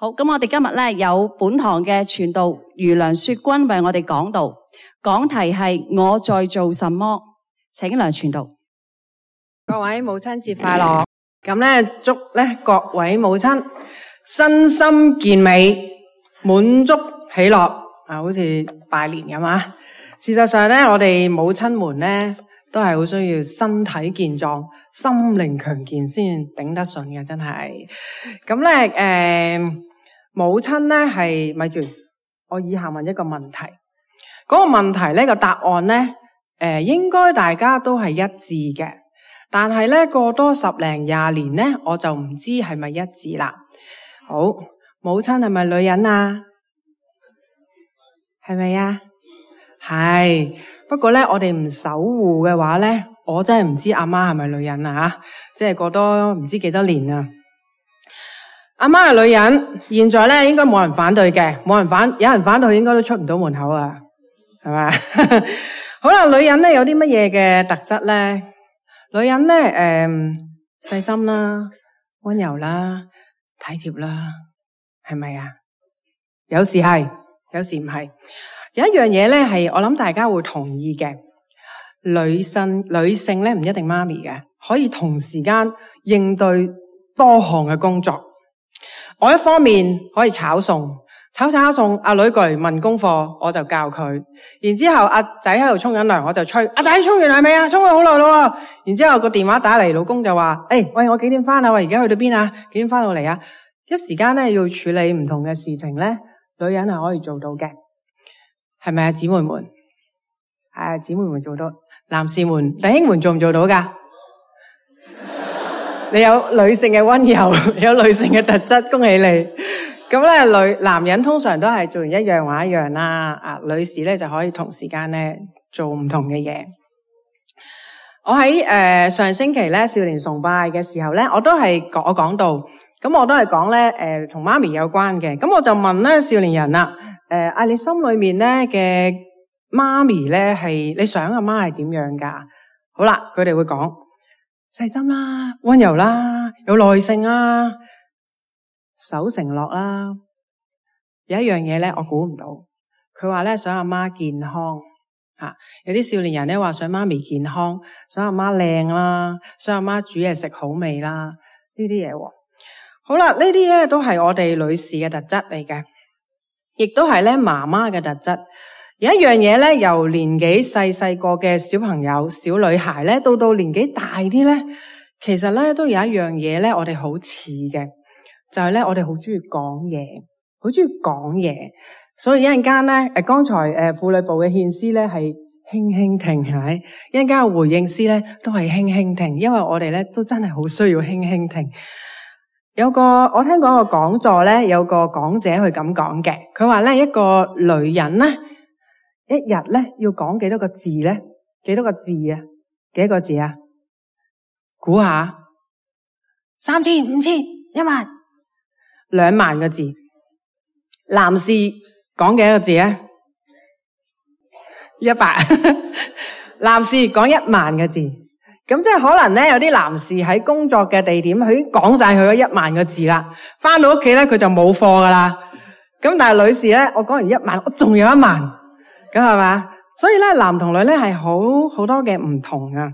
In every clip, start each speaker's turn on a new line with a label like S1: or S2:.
S1: 好，咁我哋今日咧有本堂嘅傳道余梁雪君為我哋講道，講題係我在做什麼，請梁傳道。
S2: 各位母親節快樂！咁咧祝咧各位母親身心健美、滿足喜樂啊，好似拜年咁啊！事實上咧，我哋母親們咧都係好需要身體健壯、心靈強健先頂得順嘅，真係。咁咧母親咧係咪住？我以下問一個問題，嗰個問題咧個答案咧應該大家都係一致嘅。但係咧過多10零20年咧，我就唔知係咪一致啦。好，母親係咪女人啊？係咪啊？係。不過咧，我哋唔守護嘅話咧，我真係唔知阿媽係咪女人啊吓！即係過多唔知幾多年啊。阿媽係女人，現在咧應該冇人反對嘅，有人反對應該都出唔到門口啊，係咪？好啦，女人咧有啲乜嘢嘅特質咧？女人咧，細心啦，溫柔啦，體貼啦，係咪啊？有時係，有時唔係。有一樣嘢咧，係我諗大家會同意嘅，女性咧唔一定媽咪嘅，可以同時間應對多項嘅工作。我一方面可以炒餸，炒餸，阿女過嚟問功課，我就教佢。然之後阿仔喺度沖緊涼，我就催阿仔沖完涼未啊？沖咗好耐咯。然之後個電話打嚟，老公就話：喂，我幾點翻啊？喂，而家去到邊啊？幾點翻到嚟啊？一時間咧要處理唔同嘅事情咧，女人係可以做到嘅，係咪啊？姊妹們，係姊妹們做到，男士們、弟兄們做唔做到噶？你有女性嘅溫柔，有女性嘅特質，恭喜你。咁咧，男人通常都係做完一樣話一樣啦，女士咧就可以同時間咧做唔同嘅嘢。我喺上星期咧少年崇拜嘅時候咧，我講到，咁我都係講咧同媽咪有關嘅。咁我就問咧少年人啦，你心裏面咧嘅媽咪咧係你想阿媽係點樣噶？好啦，佢哋會講細心啦、溫柔啦、有耐性啦、守承諾啦。有一樣嘢咧，我估唔到。佢話咧想阿媽健康吓，有啲少年人咧話想媽咪健康，想阿媽靚啦，想阿媽煮嘢食好味啦，呢啲嘢。好啦，呢啲咧都係我哋女士嘅特質嚟嘅，亦都係咧媽媽嘅特質。有一樣嘢咧，由年紀細個嘅小朋友、小女孩咧，到年紀大啲咧，其實咧都有一樣嘢咧，我哋好似嘅，就係咧我哋好中意講嘢，好中意講嘢。所以一陣間咧，剛才婦女部嘅獻詩咧係輕輕停，係咪？一陣間嘅回應詩咧都係輕輕停，因為我哋咧都真係好需要輕輕停。我聽過一個講座咧，有個講者去咁講嘅，佢話咧一個女人咧，一日咧要講幾多個字咧？幾多個字啊？幾多個字啊？估下，3000、5000、10000、2萬個字。男士講幾多個字啊？100。男士講1萬個字。咁即係可能咧，有啲男士喺工作嘅地點，佢已經講晒佢嗰1萬個字啦。翻到屋企咧，佢就冇貨噶啦。咁但係女士咧，我講完1萬，我仲有1萬。咁係嘛？所以咧，男同女咧係好多嘅唔同啊。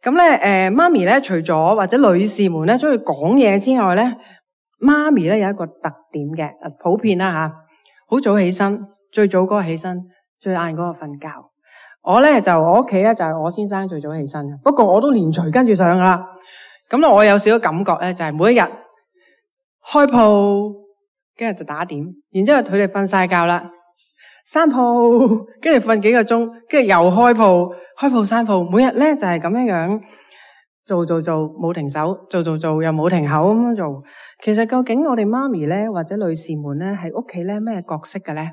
S2: 咁咧，媽咪咧，除咗或者女士們咧中意講嘢之外咧，媽咪咧有一個特點嘅，普遍啦吓，好早起身，最早嗰個起身，最晏嗰個瞓覺。我屋企咧就係我先生最早起身，不過我都連隨跟住上噶啦。咁咧，我有少少感覺咧，就係每一日開鋪，跟住就打點，然之後佢哋瞓晒覺啦。閂鋪，跟住瞓幾個鐘，跟住又開鋪閂鋪，每日咧就係咁樣做，冇停手，做又冇停口咁樣做。其實究竟我哋媽咪咧或者女士們咧喺屋企咧咩角色嘅咧？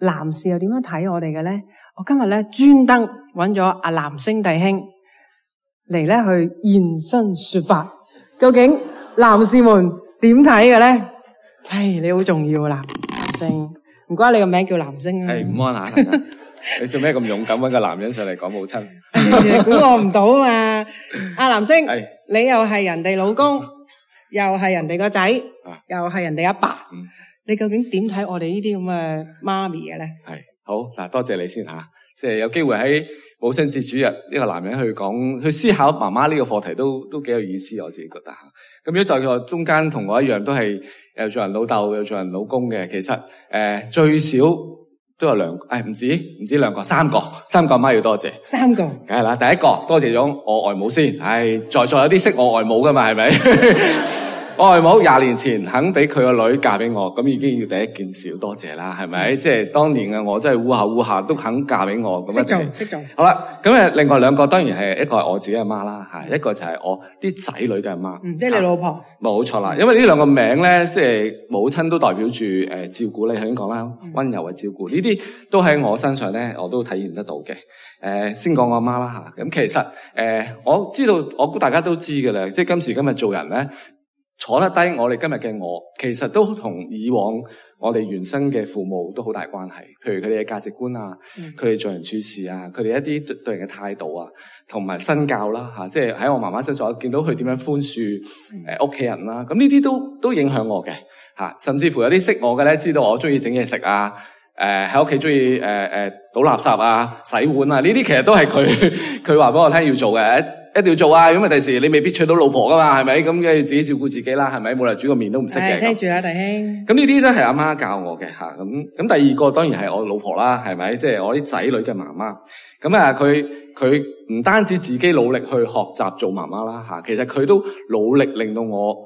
S2: 男士又點樣睇我哋嘅咧？我今日咧專登揾咗阿男星弟兄嚟咧去現身說法，究竟男士們點睇嘅咧？你好重要啊，男星。唔該，你個名叫男星啊？
S3: 午安啊！你做咩咁勇敢揾個男人上嚟講母親？
S2: 估我唔到啊嘛！阿男星，你又係人哋老公，又係人哋個仔，又係人哋阿爸。你究竟點睇我哋呢啲咁嘅媽咪嘅咧？
S3: 係好嗱，多謝你先吓，即係有機會喺母親節主日呢個男人去思考媽媽呢個課題都幾有意思，我自己覺得吓。咁如果在佢中間同我一樣都係又做人老豆又做人老公嘅，其實最少都有兩個，唔止兩個，三個阿媽要多謝。三個，梗係啦。第一個多謝咗我外母先，在座有啲識我外母噶嘛，係咪？我外母20年前肯俾佢個女嫁俾我，咁已經要第一件事要多謝啦，係咪？即係當年嘅我真係烏下都肯嫁俾我，咁識做。好啦，咁另外兩個當然係一個係我自己阿媽啦，一個就係我啲仔女嘅阿媽。
S2: 即係你老婆。
S3: 冇錯啦，因為呢兩個名咧，即係母親都代表住照顧，你頭先講啦，溫柔嘅照顧，呢啲都喺我身上咧，我都體驗得到嘅。先講我阿媽啦吓，咁其實我知道，我估大家都知㗎啦，即係今時今日做人咧。坐得低，我哋今日嘅我，其實都同以往我哋原生嘅父母都好大關係。譬如佢哋嘅價值觀啊，佢哋做人處事啊，佢哋一啲對人嘅態度啊，同埋身教啦吓，即係喺我媽媽身上，我見到佢點樣寬恕屋企人啦。咁呢啲都影響我嘅吓，甚至乎有啲識我嘅咧，知道我中意整嘢食啊，喺屋企中意倒垃圾啊、洗碗啊，呢啲其實都係佢話俾我聽要做嘅。一定要做啊！咁啊，第時你未必娶到老婆噶嘛，係咪？咁梗係自己照顧自己啦，係咪？冇理由煮個麵都唔識嘅。
S2: 聽住啊，弟兄。
S3: 咁呢啲都係阿媽教我嘅吓。咁第二個當然係我老婆啦，係咪？即係我啲仔女嘅媽媽。咁啊，佢唔單止自己努力去學習做媽媽啦吓，其實佢都努力令到我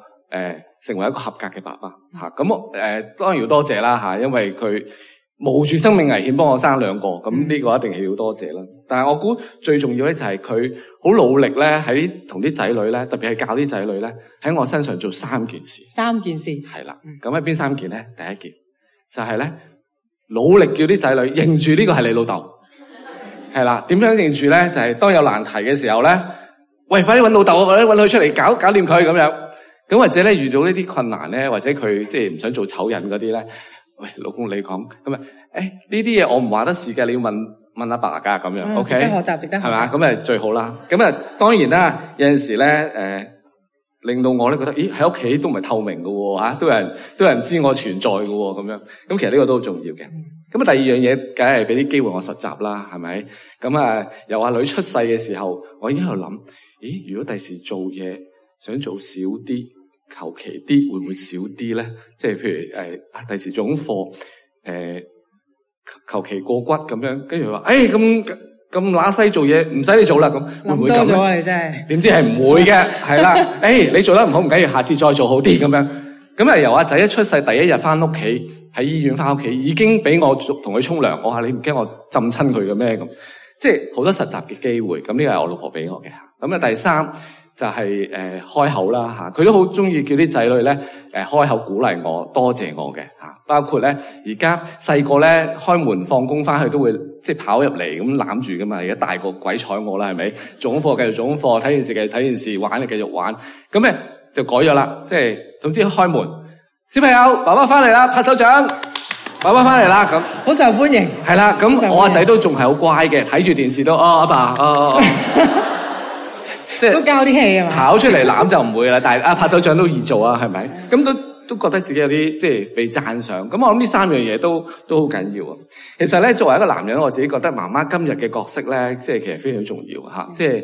S3: 成為一個合格嘅爸爸吓。咁我當然要多謝啦吓，因為佢冒住生命危險幫我生兩個，咁呢個一定係要多謝啦。但係我估最重要咧就係佢好努力咧喺同啲仔女咧，特別係教啲仔女咧喺我身上做3件事。3件事係啦，咁係邊3件咧？第一件就係咧努力叫啲仔女認住呢個係你老豆，係啦。點樣認住咧？就係當有難題嘅時候咧，喂，快啲搵老豆，或者搵佢出嚟搞掂佢咁樣。咁或者咧遇到呢啲困難咧，或者佢即係唔想做醜人嗰啲咧。喂，老公你講咁啊？呢啲嘢我唔話得事嘅，你要問阿爸㗎咁樣 ，OK？值得學習，值得學習，係嘛？咁啊最好啦。咁啊當然啦，有陣時咧令到我咧覺得，咦喺屋企都唔係透明㗎喎嚇，都有人知我存在㗎喎咁樣。咁其實呢個都好重要嘅。咁啊第二樣嘢，梗係俾啲機會我實習啦，係咪？咁啊由阿女出世嘅時候，我已經喺度諗，咦如果第時做嘢想做少啲。求其啲會唔會少啲咧？即係譬如第時做功課求其過骨咁樣，跟住佢話咁乸西做嘢唔使你做啦，咁會唔會咁咧？諗多咗啊！你真係點知係唔會嘅，係啦。你做得唔好唔緊要，下次再做好啲咁樣。咁啊由阿仔一出世第一日翻屋企喺醫院翻屋企，已經俾我同佢沖涼。我話你唔驚我浸親佢嘅咩咁？即係好多實習嘅機會。咁呢個係我老婆俾我嘅。咁啊第三。就係開口啦嚇，佢都好中意叫啲仔女咧開口鼓勵我、多謝我嘅嚇，包括咧而家細個咧開門放工翻去都會即係跑入嚟咁攬住噶嘛，而家大個鬼睬我啦係咪？做功課繼續做功課，睇電視繼續睇電視，玩就繼續玩，咁咧就改咗啦，即係總之開門，小朋友爸爸翻嚟啦，拍手掌，爸爸翻嚟啦咁，好受歡迎。係啦，咁我阿仔都仲係好乖嘅，睇住電視都阿爸即係都交啲氣啊嘛，跑出嚟攬就唔會啦，但係拍手掌都易做啊，係咪？咁都覺得自己有啲即係被讚賞。咁我諗呢3樣嘢都好緊要啊。其實咧，作為一個男人，我自己覺得媽媽今日嘅角色咧，即係其實非常重要嚇。即係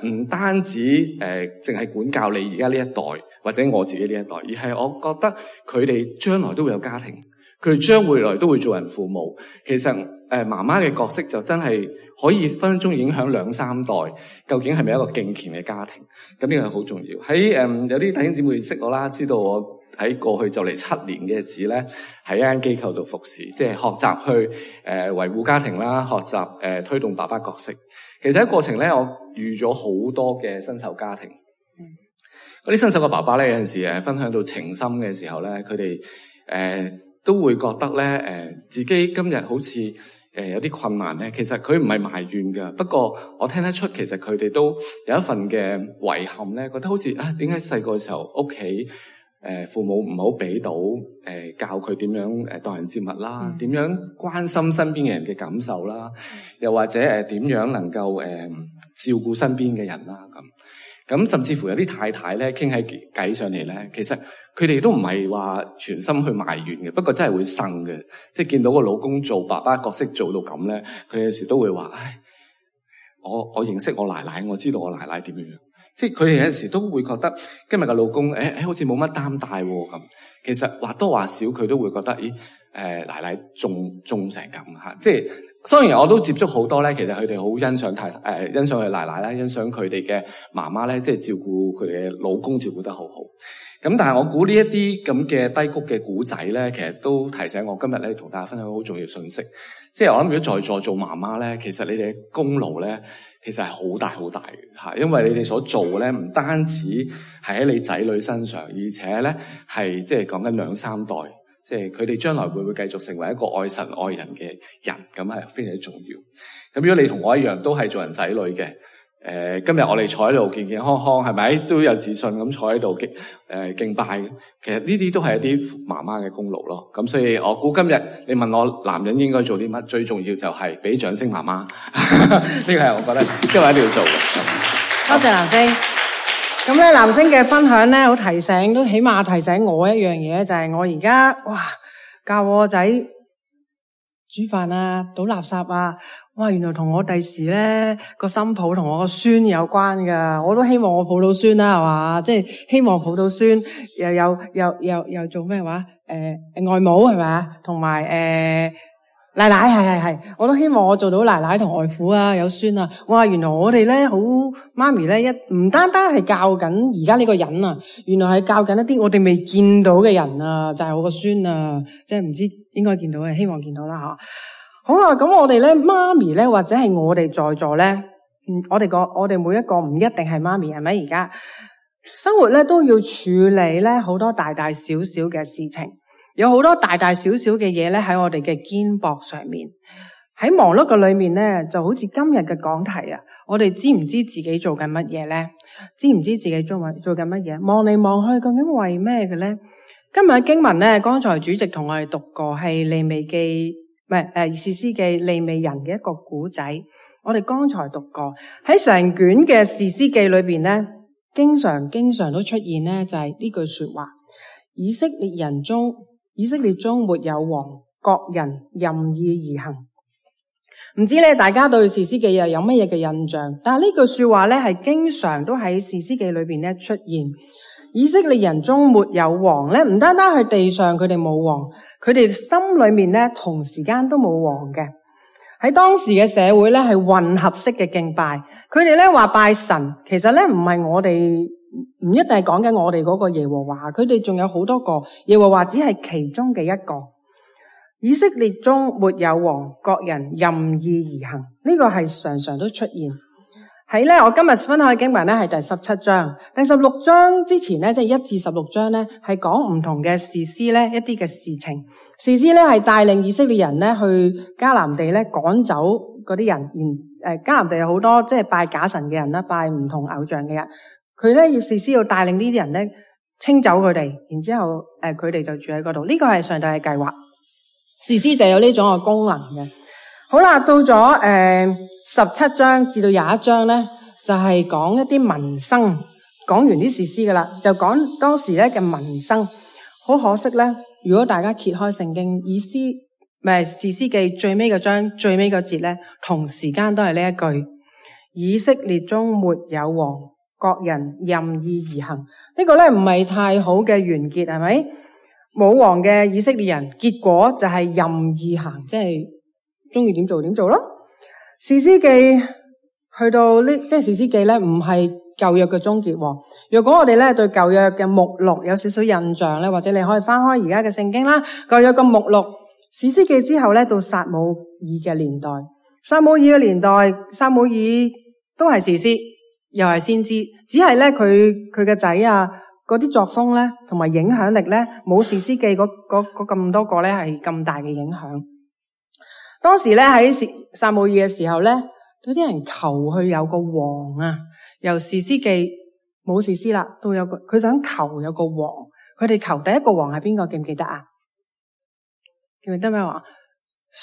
S3: 唔單止淨係管教你而家呢一代或者我自己呢一代，而係我覺得佢哋將來都會有家庭，佢哋將來都會做人父母。其實媽媽嘅角色就真係可以分分鐘影響2-3代，究竟係咪一個敬虔嘅家庭？咁呢個好重要。喺有啲弟兄姊妹識我啦，知道我喺過去就嚟7年嘅日子咧，喺一間機構度服侍，即係學習去維護家庭啦，學習推動爸爸角色。其實喺過程咧，我遇咗好多嘅新手家庭。嗰啲新手嘅爸爸咧，有陣時分享到情深嘅時候咧，佢哋都會覺得咧自己今日好似有啲困難咧，其實佢唔係埋怨噶，不過我聽得出其實佢哋都有一份嘅遺憾咧，覺得好似點解細個嘅時候屋企父母唔好俾到教佢點樣待人接物啦，點樣關心身邊嘅人嘅感受啦，又或者點樣能夠照顧身邊嘅人啦咁。咁甚至乎有啲太太咧傾起偈上嚟咧，其實佢哋都唔係話全心去埋怨嘅，不過真係會呻嘅，即係見到個老公做爸爸角色做到咁咧，佢有時都會話：唉，我認識我奶奶，我知道我奶奶點樣。即係佢哋有陣時都會覺得今日嘅老公好似冇乜擔帶喎咁。其實或多或少佢都會覺得，奶奶中成咁嚇。即係雖然我都接觸好多咧，其實佢哋好欣賞欣賞佢奶奶啦，欣賞佢哋嘅媽媽咧，即係照顧佢哋嘅老公照顧得好好。咁但係我估呢一啲咁嘅低谷嘅古仔咧，其實都提醒我今日咧同大家分享好重要信息。即係我諗，如果在座做媽媽咧，其實你哋嘅功勞咧，其實係好大好大嘅嚇，因為你哋所做嘅咧，唔單止係喺你仔女身上，而且咧係即係講緊2、3代，即係佢哋將來會唔會繼續成為一個愛神愛人嘅人，咁係非常之重要。咁如果你同我一樣都係做人仔女嘅，今日我哋坐喺度健健康康，係咪都有自信咁坐喺度敬拜？其實呢啲都係一啲媽媽嘅功勞咯。咁所以我估今日你問我男人應該做啲乜，最重要就係俾掌聲媽媽。呢個係我覺得今日一定要做嘅。
S2: 多謝藍星。咁咧，藍星嘅分享咧，好提醒，都起碼提醒我一樣嘢，就係我而家教我個仔煮飯啊，倒垃圾啊。哇！原來同我第時咧個新抱同我個孫有關噶，我都希望我抱到孫啦，係嘛？即係希望抱到孫，又做咩話？外母係咪啊？同埋奶奶係，我都希望我做到奶奶同外父啊，有孫啊！哇！原來我哋咧好媽咪咧唔單單係教緊而家呢個人啊，原來係教緊一啲我哋未見到嘅人啊，就係我個孫啊，即係唔知應該見到嘅，希望見到啦吓。好啊，咁我哋咧媽咪咧，或者係我哋在座咧，我哋每一個唔一定係媽咪，係咪？而家生活咧都要處理咧好多大大小小嘅事情，有好多大大小小嘅嘢咧喺我哋嘅肩膊上面。喺忙碌嘅裏面咧，就好似今日嘅講題啊，我哋知唔知自己做緊乜嘢咧？知唔知自己做緊乜嘢？望嚟望去，究竟為咩嘅咧？今日嘅經文咧，剛才主席同我哋讀過係利未記。士師記利未人嘅一個古仔，我哋剛才讀過喺成卷嘅士師記裏邊咧，經常都出現咧就係呢句說話：以色列中沒有王，各人任意而行。唔知咧大家對士師記又有乜嘢嘅印象？但係呢句說話咧係經常都喺士師記裏邊咧出現。以色列人中沒有王咧，唔單單係地上佢哋冇王，佢哋心裏面咧同時間都冇王嘅。喺當時嘅社會咧係混合式嘅敬拜，佢哋咧話拜神，其實咧唔係我哋唔一定係講緊我哋嗰個耶和華，佢哋仲有好多個，耶和華只係其中嘅一個。以色列中沒有王，各人任意而行，呢個係常常都出現。喺咧，我今日分享嘅經文咧係第17章，第16章之前咧，即係1至16章咧，係講唔同嘅士師咧一啲嘅事情。士師咧係帶領以色列人咧去迦南地咧趕走嗰啲人，迦南地有好多即係拜假神嘅人啦，拜唔同偶像嘅人，佢咧要士師要帶領呢啲人咧清走佢哋，然之後佢哋就住喺嗰度。呢個係上帝嘅計劃，士師就有呢種嘅功能嘅。好啦，到咗17章至到21章咧，就係講一啲民生，講完啲士師噶啦，就講當時咧嘅民生。好可惜咧，如果大家揭開聖經，士師記最尾個章最尾個節咧，同時間都係呢一句：以色列中沒有王，各人任意而行。呢個咧唔係太好嘅完結，係咪？冇王嘅以色列人，結果就係任意行，即係中意點做點做咯。士師記去到呢，即係士師記咧，唔係舊約嘅終結。若果我哋咧對舊約嘅目錄有少少印象咧，或者你可以翻開而家嘅聖經啦，舊約嘅目錄，士師記之後咧到撒母耳嘅年代，撒母耳嘅年代，撒母耳都係士師，又係先知，只係咧佢嘅仔啊嗰啲作風咧，同埋影響力咧，冇士師記嗰咁多個咧係咁大嘅影響。當時咧喺撒母耳嘅時候咧，有啲人求佢有個王啊，由士師記冇士師啦，都有佢想求有個王。佢哋求第一個王係邊個？記唔記得啊？記唔記得咩王？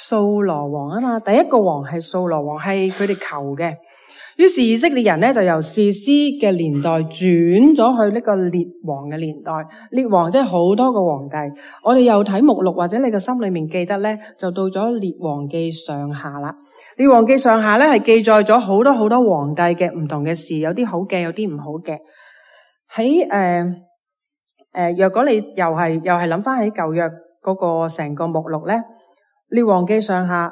S2: 掃羅王啊嘛，第一個王係掃羅王，係佢哋求嘅。於是以色列人咧就由士師嘅年代轉咗去呢個列王嘅年代。列王即係好多個皇帝。我哋又睇目錄或者你個心裏面記得咧，就到咗列王記上下啦。列王記上下咧係記載咗好多好多皇帝嘅唔同嘅事，有啲好嘅，有啲唔好嘅。喺若果你又係諗翻起舊約嗰個成個目錄咧，列王記上下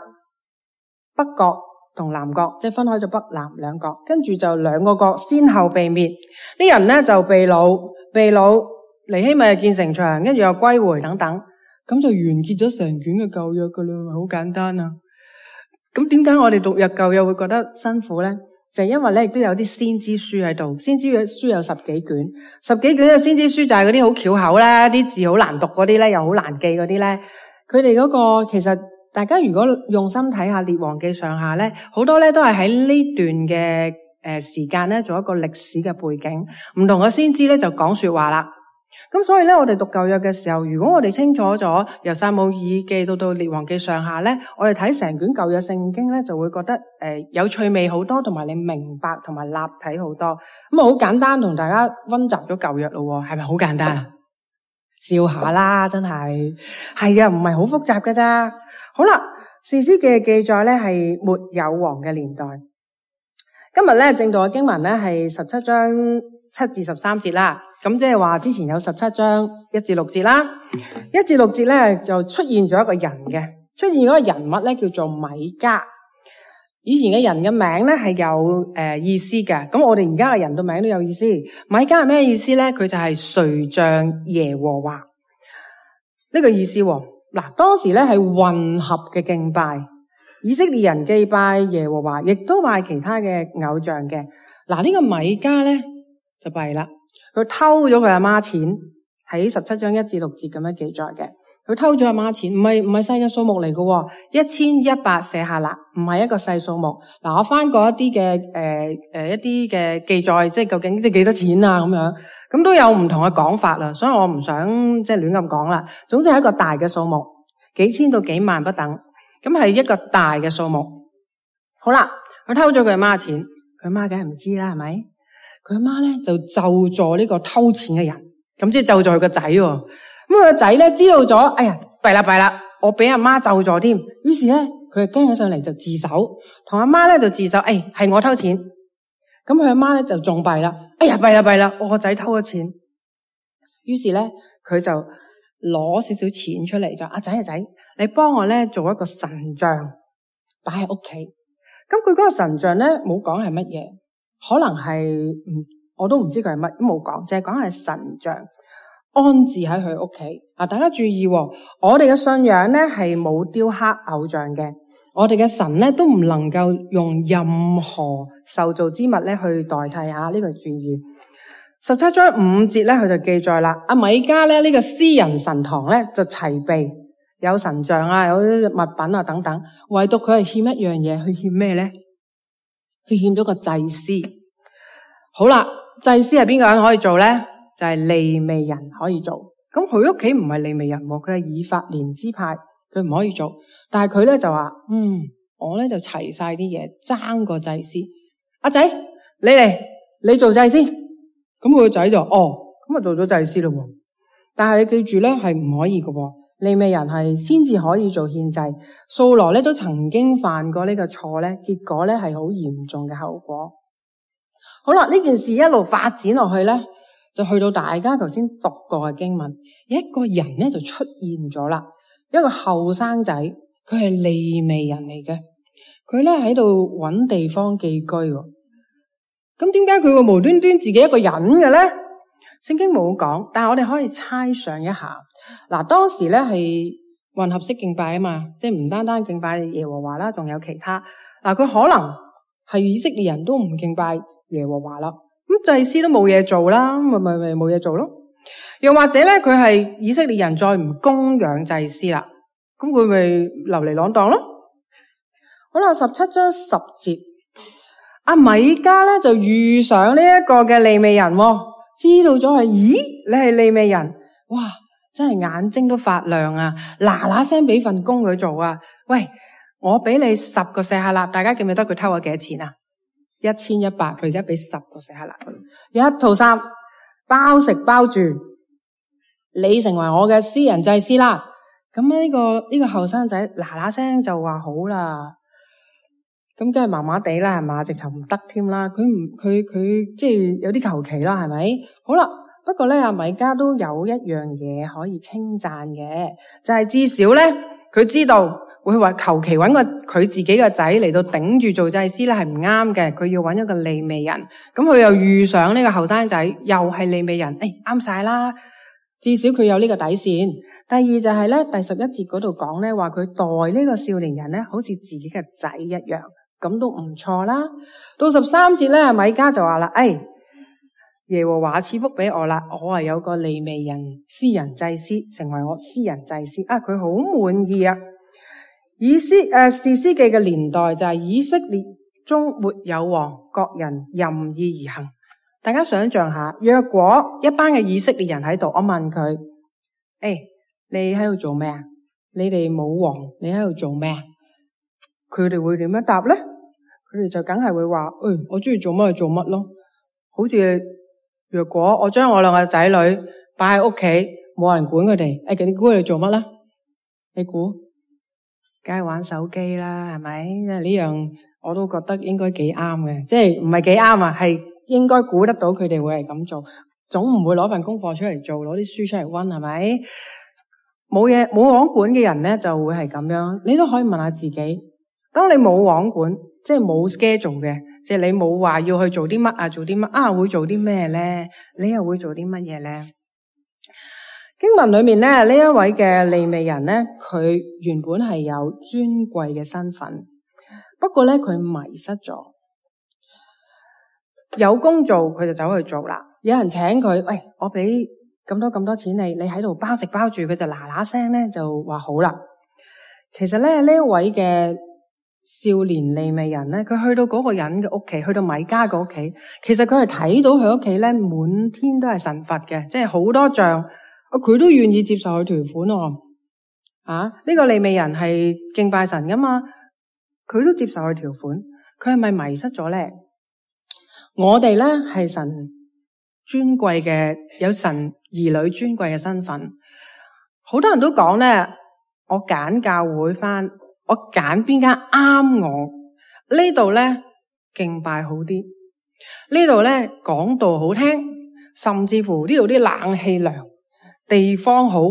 S2: 北國同南國即係分開咗北南兩國，跟住就兩個國先後被滅，啲人咧就被擄尼希米建城牆，跟住又歸回等等，咁就完結咗成卷嘅舊約噶啦，好簡單啊！咁點解我哋讀舊約會覺得辛苦咧？就係因為咧亦都有啲先知書喺度，先知書有10幾卷嘅先知書就係嗰啲好巧口啦，啲字好難讀嗰啲咧，又好難記嗰啲咧，佢哋嗰個其實。大家如果用心睇下列王記上下咧，好多咧都係喺呢段嘅時間咧做一個歷史嘅背景，唔同嘅先知咧就講說話啦。咁所以咧，我哋讀舊約嘅時候，如果我哋清楚咗由撒母耳記到列王記上下咧，我哋睇成卷舊約聖經咧，就會覺得有趣味好多，同埋你明白同埋立體好多。咁啊，好簡單同大家溫習咗舊約咯，係咪好簡單啊？笑下啦，真係啊，唔係好複雜㗎咋。好啦，士師記嘅記載咧係沒有王嘅年代。今日咧正道嘅經文咧係17章7至13節啦。咁即係話之前有17章1至6節啦。1至6節咧就出現咗一個人嘅，出現咗一個人物咧叫做米迦。以前嘅人嘅名咧係有意思嘅。咁我哋而家嘅人嘅名都有意思。米迦係咩意思咧？佢就係誰像耶和華呢個意思喎。嗱，當時咧係混合嘅敬拜，以色列人祭拜耶和華，亦都拜其他嘅偶像嘅。嗱，呢個米迦咧就弊啦，佢偷咗佢阿媽錢，喺17章1至6節咁樣記載嘅。佢偷咗阿媽錢，唔係細嘅數目嚟嘅，1100舍客勒，唔係一個細數目。嗱，我翻過一啲嘅一啲嘅記載，即係究竟即係幾多錢啊咁樣。咁都有唔同嘅講法啦，所以我唔想即係亂咁講啦。總之係一個大嘅數目，幾千到幾萬不等，咁係一個大嘅數目。好啦，佢偷咗佢阿媽錢，佢阿媽梗係唔知啦，係咪？佢阿媽咧就咒詛呢個偷錢嘅人，咁即係咒詛佢個仔喎。咁佢個仔咧知道咗，哎呀，弊啦，我俾阿媽咒詛添。於是咧佢就驚咗上嚟就自首，同阿媽咧就自首，係我偷錢。咁佢阿媽咧就仲弊啦，哎呀，弊啦，我個仔偷咗錢。於是咧佢就攞少少錢出嚟，就阿仔，你幫我咧做一個神像擺喺屋企。咁佢嗰個神像咧冇講係乜嘢，可能係我都唔知佢係乜，都冇講，淨係講係神像安置喺佢屋企。大家注意喎，我哋嘅信仰咧係冇雕刻偶像嘅。我哋嘅神咧都唔能夠用任何受造之物咧去代替下，呢個注意。17章5節咧佢就記載啦，阿米迦咧呢個私人神堂咧就齊備，有神像啊，有啲物品啊等等，唯獨佢係欠一樣嘢，佢欠咩咧？佢欠咗個祭司。好啦，祭司係邊個人可以做咧？就係利未人可以做。咁佢屋企唔係利未人，佢係以法蓮支派，佢唔可以做。但係佢咧就話，我咧就齊晒啲嘢，爭個祭司。阿仔，你嚟，你做祭司。咁佢個仔就咁啊做咗祭司咯。但係你記住咧，係唔可以嘅。利未人係先至可以做獻祭。掃羅咧都曾經犯過呢個錯咧，結果咧係好嚴重嘅後果。好啦，呢件事一路發展落去咧，就去到大家頭先讀過嘅經文，有一個人咧就出現咗啦，一個後生仔。佢係利未人嚟嘅，佢咧喺度搵地方寄居。咁點解佢會無端端自己一個人嘅咧？聖經冇講，但係我哋可以猜想一下。嗱，當時咧係混合式敬拜啊嘛，即係唔單單敬拜耶和華啦，仲有其他。嗱，佢可能係以色列人都唔敬拜耶和華啦，咁祭司都冇嘢做啦，咪冇嘢做咯。又或者咧，佢係以色列人再唔供養祭司啦。咁佢咪流離浪蕩咯？好啦，17章10節，阿米迦咧就遇上呢一個嘅利未人，知道咗係，咦，你係利未人，哇，真係眼睛都發亮啊！嗱聲俾份工佢做啊！喂，我俾你10個舍客勒，大家記唔記得佢偷咗幾多錢啊1100，佢而家俾10個舍客勒佢，有一套衫，包食包住，你成為我嘅私人祭司啦。咁呢個後生仔嗱聲就話好啦，咁梗係麻麻地啦，係嘛？直頭唔得添啦。佢即係有啲求其啦，係咪？好啦，不過咧阿米迦都有一樣嘢可以稱讚嘅，就係至少咧佢知道會話求其揾個佢自己個仔嚟到頂住做祭司咧係唔啱嘅，佢要揾一個利未人。咁佢又遇上呢個後生仔又係利未人，啱晒啦，至少佢有呢個底線。第二就係咧，第11節嗰度講咧，話佢待呢個少年人咧，好似自己嘅仔一樣，咁都唔錯啦。到13節咧，米迦就話啦，耶和華賜福俾我啦，我係有個利未人私人祭司，成為我私人祭司啊，佢好滿意啊。士師記嘅年代就係以色列中沒有王，各人任意而行。大家想象下，若果一班嘅以色列人喺度，我問佢，你喺度做咩啊？你哋冇王，你喺度做咩啊？佢哋會點樣答咧？佢哋就梗係會話，我中意做乜就做乜咯。好似若果我將我兩個仔女擺喺屋企，冇人管佢哋，你估佢哋做乜啦？你估？梗係玩手機啦，係咪？因為呢樣我都覺得應該幾啱嘅，即係唔係幾啱啊？係應該估得到佢哋會係咁做，總唔會攞份功課出嚟做，攞啲書出嚟溫，係咪？冇王管嘅人咧，就會係咁樣。你都可以問下自己，當你冇王管，即係冇 schedule 嘅，即係你冇話要去做啲乜啊，做啲乜啊，會做啲咩咧？你又會做啲乜嘢咧？經文裏面咧，呢一位嘅利未人咧，佢原本係有尊貴嘅身份，不過咧佢迷失咗。有工做佢就走去做啦，有人請佢，我俾咁多錢你喺度包食包住，佢就嗱聲咧就話好啦。其實咧呢一位嘅少年利未人咧，佢去到嗰個人嘅屋企，去到米迦嘅屋企，其實佢係睇到佢屋企咧滿天都係神佛嘅，即係好多像，佢都願意接受佢條款喎。呢個利未人係敬拜神噶嘛，佢都接受佢條款，佢係咪迷失咗咧？我哋咧係神尊貴嘅，有神兒女尊貴嘅身份。好多人都講咧，我揀教會返，我揀邊間啱我。呢度咧敬拜好啲，呢度咧講道好聽，甚至乎呢度啲冷氣涼，地方好。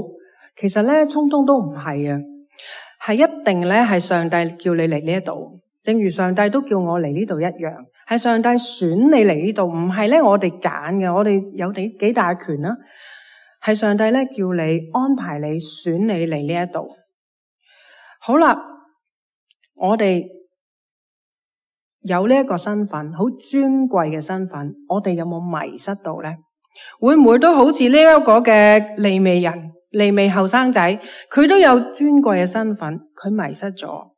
S2: 其實咧通通都唔係啊，係一定咧係上帝叫你嚟呢一度，正如上帝都叫我嚟呢度一樣。係上帝選你嚟呢度，唔係咧我哋揀嘅，我哋有幾大權啦。係上帝咧叫你安排你選你嚟呢一度。好啦，我哋有呢一個身份，好尊貴嘅身份，我哋有冇迷失到咧？會唔會都好似呢一個嘅利未人、利未後生仔，佢都有尊貴嘅身份，佢迷失咗。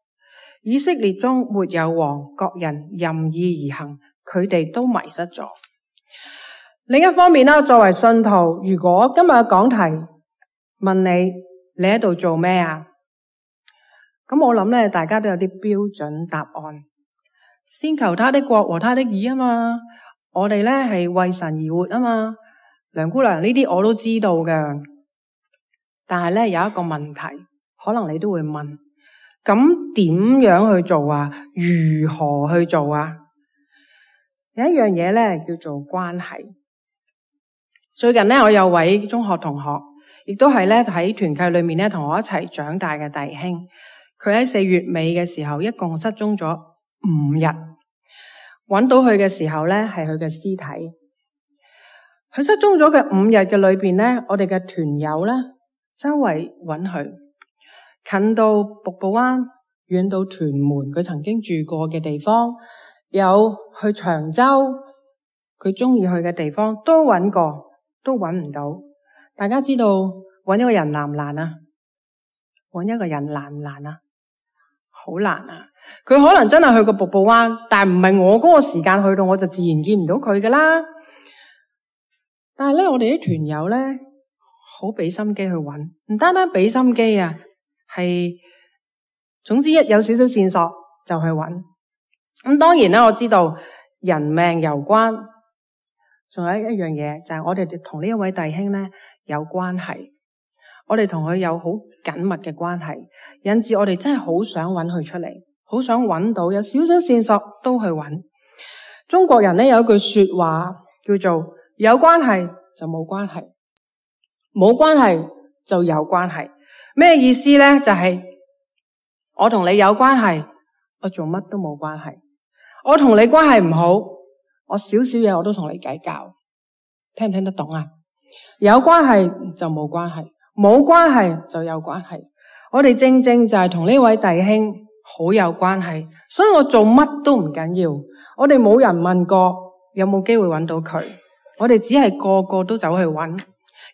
S2: 以色列中沒有王，各人任意而行，佢哋都迷失咗。另一方面啦，作為信徒，如果今日嘅講題問你喺度做咩啊？咁我諗咧，大家都有啲標準答案。先求他的國和他的義啊嘛，我哋咧係為神而活啊嘛。梁姑娘呢啲我都知道嘅，但係咧有一個問題，可能你都會問。咁點樣去做啊？如何去做啊？有一樣嘢咧叫做關係。最近咧，我有位中學同學，亦都係咧喺團契裏面咧同我一齊長大嘅弟兄。佢喺4月尾嘅時候，一共失蹤咗5日。揾到佢嘅時候咧，係佢嘅屍體。佢失蹤咗嘅5日嘅裏邊咧，我哋嘅團友咧周圍揾佢。近到瀑布灣，遠到屯門，佢曾經住過嘅地方，有去長洲，佢中意去嘅地方都揾過，都揾唔到。大家知道揾一個人難唔難啊？揾一個人難唔難啊？好難啊！佢可能真係去過瀑布灣，但係唔係我嗰個時間去到，我就自然見唔到佢噶啦。但係咧，我哋啲團友咧好俾心機去揾，唔單單俾心機啊！係，總之一有少少線索就去揾。咁當然啦，我知道人命攸關。仲有一樣嘢就係我哋同呢一位弟兄咧有關係，我哋同佢有好緊密嘅關係，引致我哋真係好想揾佢出嚟，好想揾到有少少線索都去揾。中國人咧有一句說話叫做有關係就冇關係，冇關係就有關係。咩意思咧？就係我同你有關係，我做乜都冇關係；我同你關係唔好，我少少嘢我都同你計較。聽唔聽得懂啊？有關係就冇關係，冇關係就有關係。我哋正正就係同呢位弟兄好有關係，所以我做乜都唔緊要。我哋冇人問過有冇機會揾到佢，我哋只係個個都走去揾。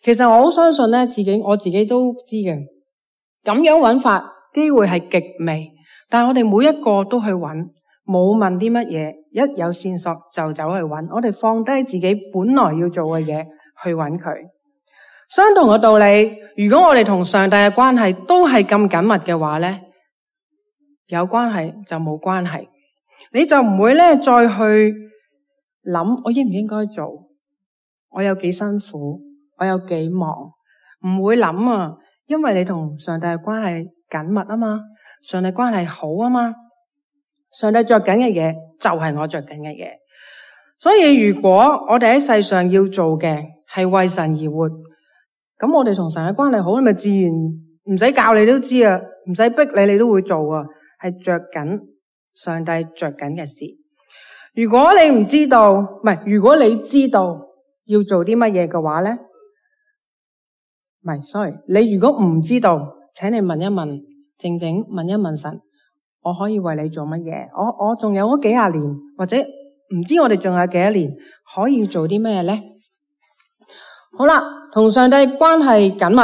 S2: 其實我好相信咧，我自己都知嘅，咁樣揾法機會係極微，但係我哋每一個都去揾，冇問啲乜嘢，一有線索就走去揾。我哋放低自己本來要做嘅嘢去揾佢。相同嘅道理，如果我哋同上帝嘅關係都係咁緊密嘅話咧，有關係就冇關係，你就唔會咧再去諗我應唔應該做，我有幾辛苦，我有幾忙，唔會諗啊，因為你同上帝嘅關係緊密啊嘛，上帝關係好啊嘛，上帝着緊嘅嘢就係我着緊嘅嘢。所以如果我哋喺世上要做嘅係為神而活，咁我哋同神嘅關係好，咪自然唔使教你都知啊，唔使逼你都會做啊，係着緊上帝着緊嘅事。如果你唔知道，如果你知道要做啲乜嘢嘅話咧，你如果唔知道，請你問一問，靜靜問一問神，我可以為你做乜嘢？我仲有嗰幾廿年，或者唔知我哋仲有幾多年可以做啲咩咧？好啦，同上帝關係緊密，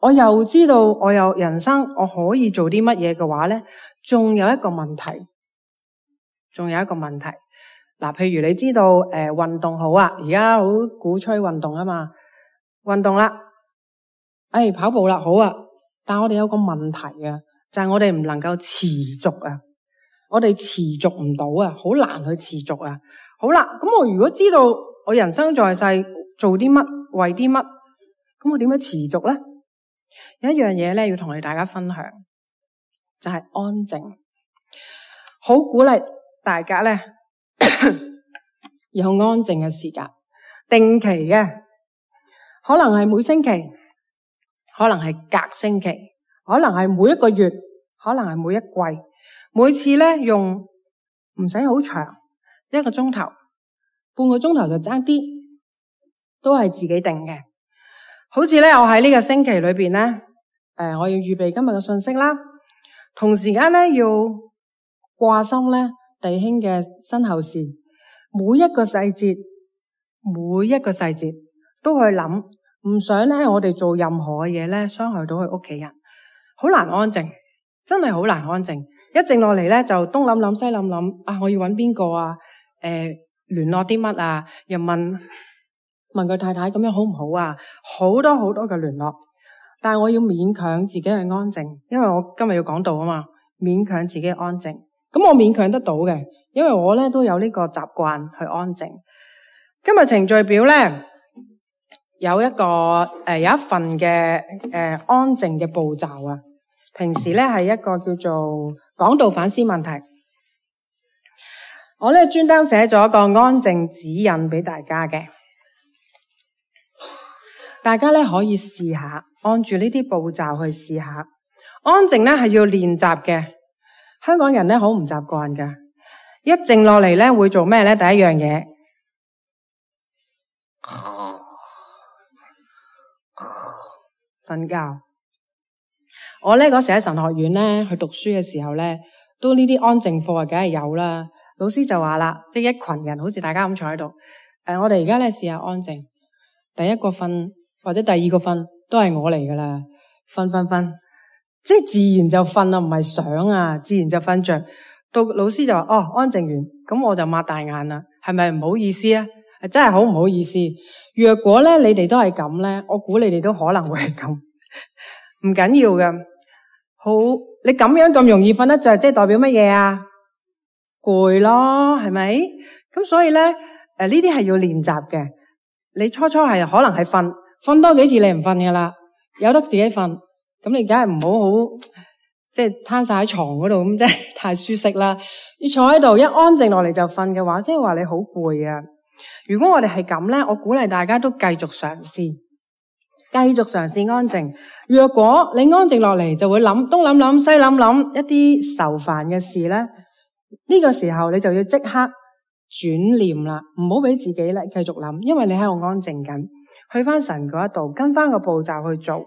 S2: 我又知道我有人生我可以做啲乜嘢嘅話咧，仲有一個問題。嗱，譬如你知道運動好啊，而家好鼓吹運動啊嘛，運動啦，跑步啦，好啊，但我哋有個問題啊，就係我哋唔能夠持續啊，我哋持續唔到啊，好難去持續啊。好啦，咁我如果知道我人生在世做啲乜，為啲乜，咁我點樣持續咧？有一樣嘢咧要同你大家分享，就係安靜。好鼓勵大家咧有安靜嘅時間，定期嘅，可能係每星期，可能係隔星期，可能係每一個月，可能係每一季，每次咧用唔使好長，1個鐘頭、半個鐘頭就爭啲，都係自己定嘅。好似咧我喺呢個星期裏邊咧，我要預備今日嘅信息啦，同時間咧要掛心咧弟兄嘅身後事，每一個細節都去諗，唔想咧我哋做任何嘅嘢咧傷害到佢屋企人，好難安靜，真係好難安靜。一靜落嚟咧就東諗諗西諗諗，我要揾邊個啊？聯絡啲乜啊？又問佢太太咁樣好唔好啊？好多好多嘅聯絡，但係我要勉強自己去安靜，因為我今日要講道啊嘛，勉強自己安靜。咁我勉強得到嘅，因為我咧都有呢個習慣去安靜。今日程序表咧有一份嘅安靜嘅步驟啊。平時咧係一個叫做講道反思問題，我咧專登寫咗一個安靜指引俾大家嘅，大家咧可以試下按住呢啲步驟去試下。安靜咧係要練習嘅，香港人咧好唔習慣㗎。一靜落嚟咧會做咩咧？第一樣嘢，瞓覺。我咧嗰時喺神學院咧去讀書嘅時候咧，都呢啲安靜課啊，梗係有啦。老師就話啦，即係一群人好似大家咁坐喺度，我哋而家咧試下安靜。第一個瞓或者第二個瞓都係我嚟噶啦，瞓，即係自然就瞓啦，唔係想啊，自然就瞓着。到老師就話安靜完，咁我就擘大眼啦，係咪唔好意思啊？真係好唔好意思。若果咧你哋都係咁咧，我估你哋都可能會係咁，唔緊要嘅。好，你咁樣咁容易瞓得着，即係代表乜嘢啊？攰咯，係咪？咁所以咧，呢啲係要練習嘅。你初係可能係瞓多幾次你唔瞓噶啦，有得自己瞓，咁你梗係唔好即係攤晒喺床嗰度，咁即係太舒適啦。要坐喺度一安靜落嚟就瞓嘅話，即係話你好攰啊。如果我哋係咁咧，我鼓勵大家都繼續嘗試，繼續嘗試安靜。若果你安靜落嚟就會諗東諗西諗一啲愁煩嘅事咧，呢個時候你就要即刻轉念啦，唔好俾自己咧繼續諗，因為你喺度安靜緊，去翻神嗰一度，跟翻個步驟去做，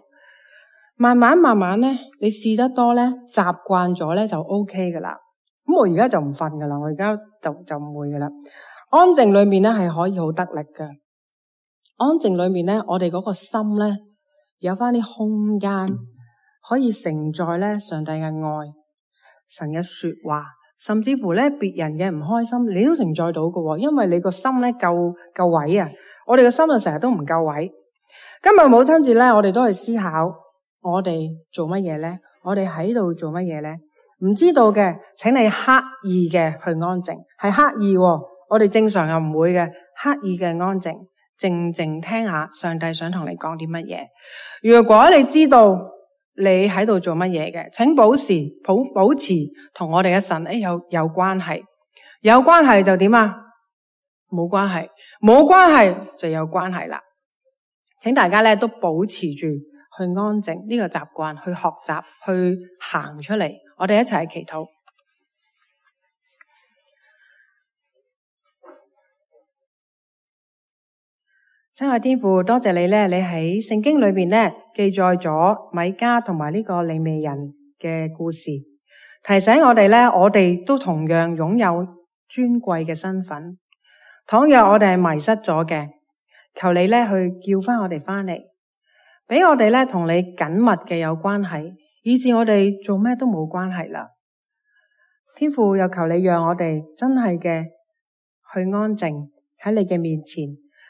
S2: 慢慢咧，你試得多咧，習慣咗咧就 OK 噶啦。咁我而家就唔瞓噶啦，我而家就唔會噶啦。安靜裏面咧係可以好得力噶，安靜裏面咧，我哋嗰個心咧有翻啲空間，可以承載咧上帝嘅愛、神嘅說話。甚至乎咧，別人嘅唔開心，你都承載到嘅，因為你個心咧夠位啊！我哋個心就成日都唔夠位。今日母親節咧，我哋都去思考，我哋做乜嘢咧？我哋喺度做乜嘢咧？唔知道嘅，請你刻意嘅去安靜，係刻意。我哋正常又唔會嘅，刻意嘅安靜，靜靜聽下上帝想同你講啲乜嘢。如果你知道你喺度做乜嘢嘅，請保持同我哋嘅神有關係，有關係就點啊？冇關係，冇關係就有關係啦。請大家咧都保持住去安靜呢個習慣，去學習，去行出嚟。我哋一齊祈禱。親愛天父，多謝你咧，你喺聖經裏邊咧記載咗米迦同埋呢個利未人嘅故事，提醒我哋咧，我哋都同樣擁有尊貴嘅身份。倘若我哋係迷失咗嘅，求你咧去叫翻我哋翻嚟，俾我哋咧同你緊密嘅有關係，以致我哋做咩都冇關係啦。天父，又求你讓我哋真係嘅去安靜喺你嘅面前。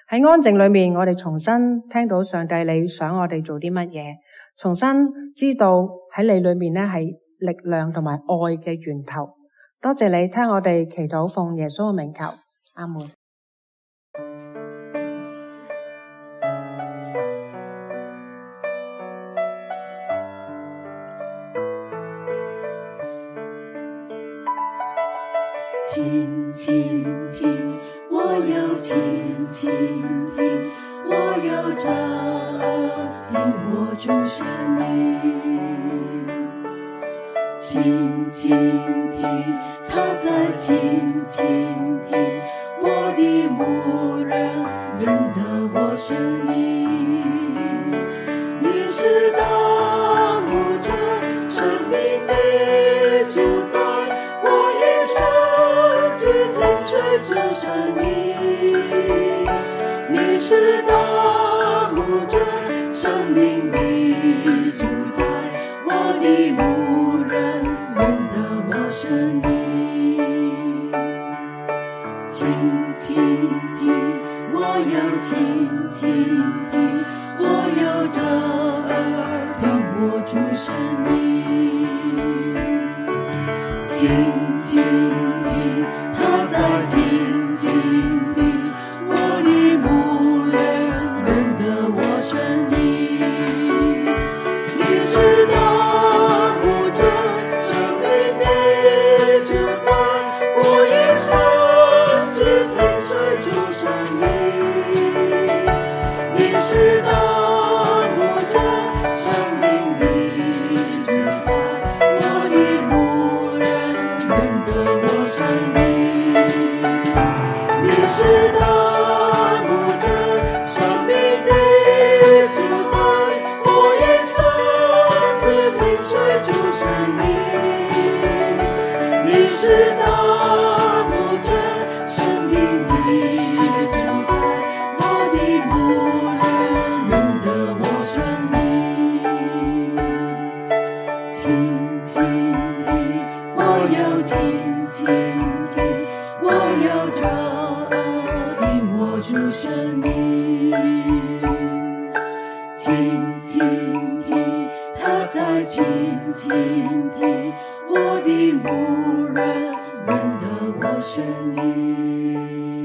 S2: 喺安靜裏面，我哋重新聽到上帝你想我哋做啲乜嘢，重新知道喺你裏面咧係力量同埋愛嘅源頭。多謝你聽我哋祈禱，奉耶穌嘅名求，阿門。
S4: 輕輕聽，我要輕輕聽，我要側耳聽我主聲音。輕輕聽，他在輕輕聽，我的牧人認得我聲音。你是大牧者，生命的主宰，我一生只聽隨主聲音。你是大牧者，生命的主宰，我的牧人認得我聲音。輕輕聽，我要輕輕聽，我要側耳聽我主聲音。輕輕聽，他在輕輕聽，我的牧人認得我聲音。你是大牧者，生命的主宰，我一生只聽隨主聲音。你是大牧者，生命的主宰，我的牧人認得我聲音。你是大牧者，生命的主宰，我一生只聽隨主聲音。你是大牧者，生命的主宰，我的牧人認得我聲音。輕輕聽，我要輕輕聽，我要側耳聽我主聲音。輕輕聽，他在輕輕聽，我的牧人認得我聲音。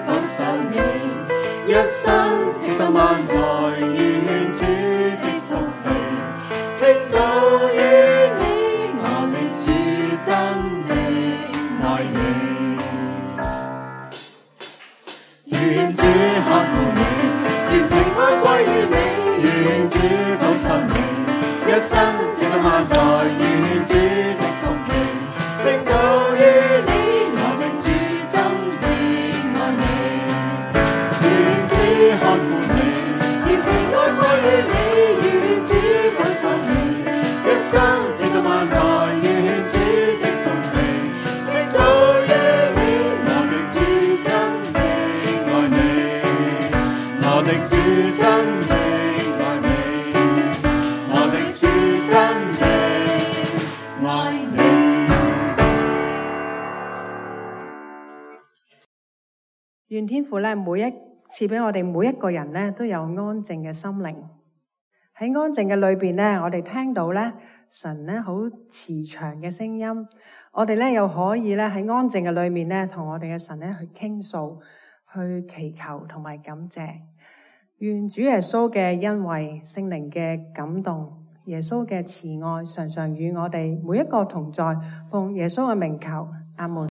S4: 保守你，一生直到萬代，願主的福氣傾倒於你，我的主真的愛你，願主看顧你，願平安歸於你，願主保守你，一生直到萬代，願主的福氣傾倒於你，我的主真的愛你，願主看顧你，願平安歸於你，願主保守你，一生直到萬代，願主的福氣傾倒於你，我的主真的愛你，我的主真的愛你，我的主真的愛你。
S2: 願天父咧，每一次俾我哋每一個人咧，都有安靜嘅心靈。喺安靜嘅裏邊咧，我哋聽到咧神咧好慈祥嘅聲音，我哋咧又可以咧喺安靜嘅裏面咧，同我哋嘅神咧去傾訴、去祈求同埋感謝。願主耶穌嘅恩惠、聖靈嘅感動、耶穌嘅慈愛，常常與我哋每一個同在。奉耶穌嘅名求，阿門。